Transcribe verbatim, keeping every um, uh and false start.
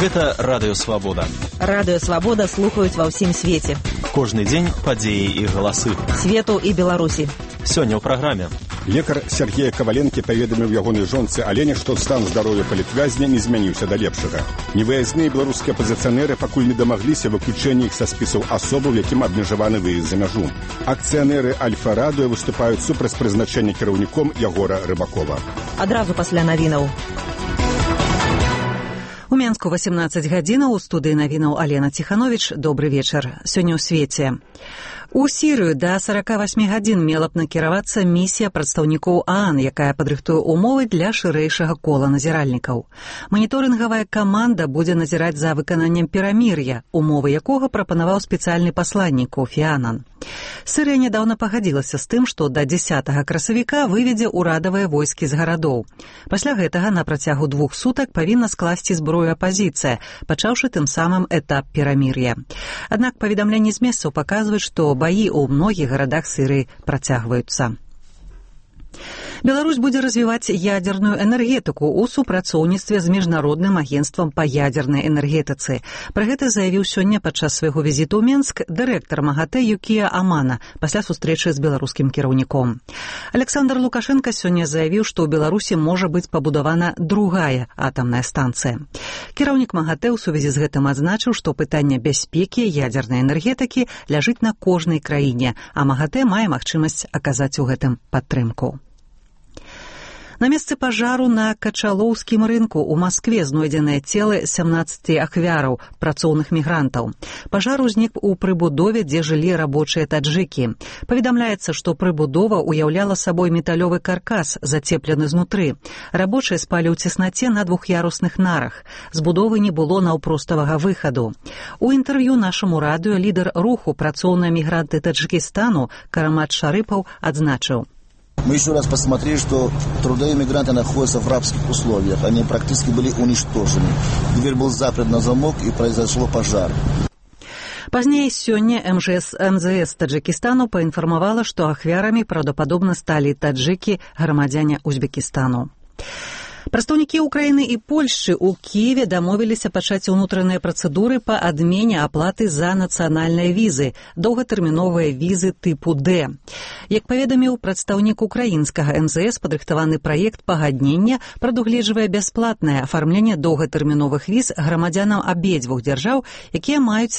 Гэта Радыё Свабода. Радыё Свабода слухаюць ва ўсім свеце. Кожны дзень падзеі і галасы. Свету і Беларусі. Сёння ў праграме. Лекар Сергея Каваленкі паведаміў ягонай жонцы Алене, што стан здароўя палітвязня не змяніўся да лепшага. Невыязныя беларускія апазіцыянеры пакуль не дамагліся выключэння іх са спісаў асобаў, якім абмежаваны выезд за мяжу. Акцыянеры Альфа-Радыё выступаюць супраць прызначэння кіраўніком Ягора Рыбакова. Адразу пасля навінаў. У Менску васемнаццаць гадзінаў, у студыі навінаў Алена Ціхановіч. Добры вечар. Сёння ў свеце. У Сірыю да сорока восьми гадзін мела б накіравацца місія прадстаўнікоў ААН, якая падрыхтуе ўмовы для шырэйшага кола назіральнікаў. Маніторынгавая каманда будзе назіраць за выкананнем перамір'я, умовы якога прапанаваў спецыяльны пасланнік Кофі Анан. Сірыя нядаўна пагадзілася з тым, што да дзесятага красавіка выведзе ўрадавыя войскі з гарадоў. Пасля гэтага на працягу двух сутак павінна скласці зброю апазіцыя, пачаўшы тым самым этап перамір'я. Аднак паведамленні з месцаў паказваюць, што баі ў многіх гарадах Сірыі працягваюцца. Беларусь будзе развіваць ядзерную энергетыку ў супрацоўніцтве з міжнародным агенцтвам па ядзернай энергетыцы. Пра гэта заявіў сёння падчас свайго візіту ў Менск дырэктар МАГАТЭ Юкія Амана пасля сустрэчы з беларускім кіраўніком. Александр Лукашенко сёння заявіў, што ў Беларусі можа быць пабудавана другая атамная станцыя. Кіраўнік МАГАТЭ ў сувязі з гэтым адзначыў, што пытанне бяспекі ядзернай энергетыкі ляжыць на кожнай краіне, а МАГАТЭ мае магчымасць аказаць у гэтым падтрымку. На месцы пажару на Качалоўскім рынку ў Маскве знойдзеныя целы сямнаццаці ахвяраў, працоўных мігрантаў. Пажар узнік у прыбудове, дзе жылі рабочыя таджыкі. Паведамляецца, што прыбудова ўяўляла сабой металёвы каркас, зацеплены знутры. Рабочыя спалі ў цеснаце на двух'ярусных нарах. З будовы не было наўпроставага выхаду. У інтэрв'ю нашаму радыё лідар руху «Працоўныя мігранты Таджикистану» Карамат Шарыпаў адзначыў: Мы еще раз посмотрели, что трудовые мигранты находятся в рабских условиях. Они практически были уничтожены. Дверь был заперт на замок, и произошел пожар. Пазней сёння эм жэ эс эм зэ эс Таджикистану паінфармавала, што ахвярамі праўдападобна сталі таджыкі, грамадзяне Узбекістану. Прадстаўнікі Украіны і Польшчы ў Кіеве дамовіліся пачаць унутраныя працэдуры па адмене аплаты за нацыянальныя візы, доўгатэрміновыя візы тыпу Д. Як паведаміў прадстаўнік украінскага эм зэ эс, падрыхтаваны праект пагаднення прадугледжвае бясплатнае афармленне доўгатэрміновых віз грамадзянам абедзвюх дзяржаў, якія маюць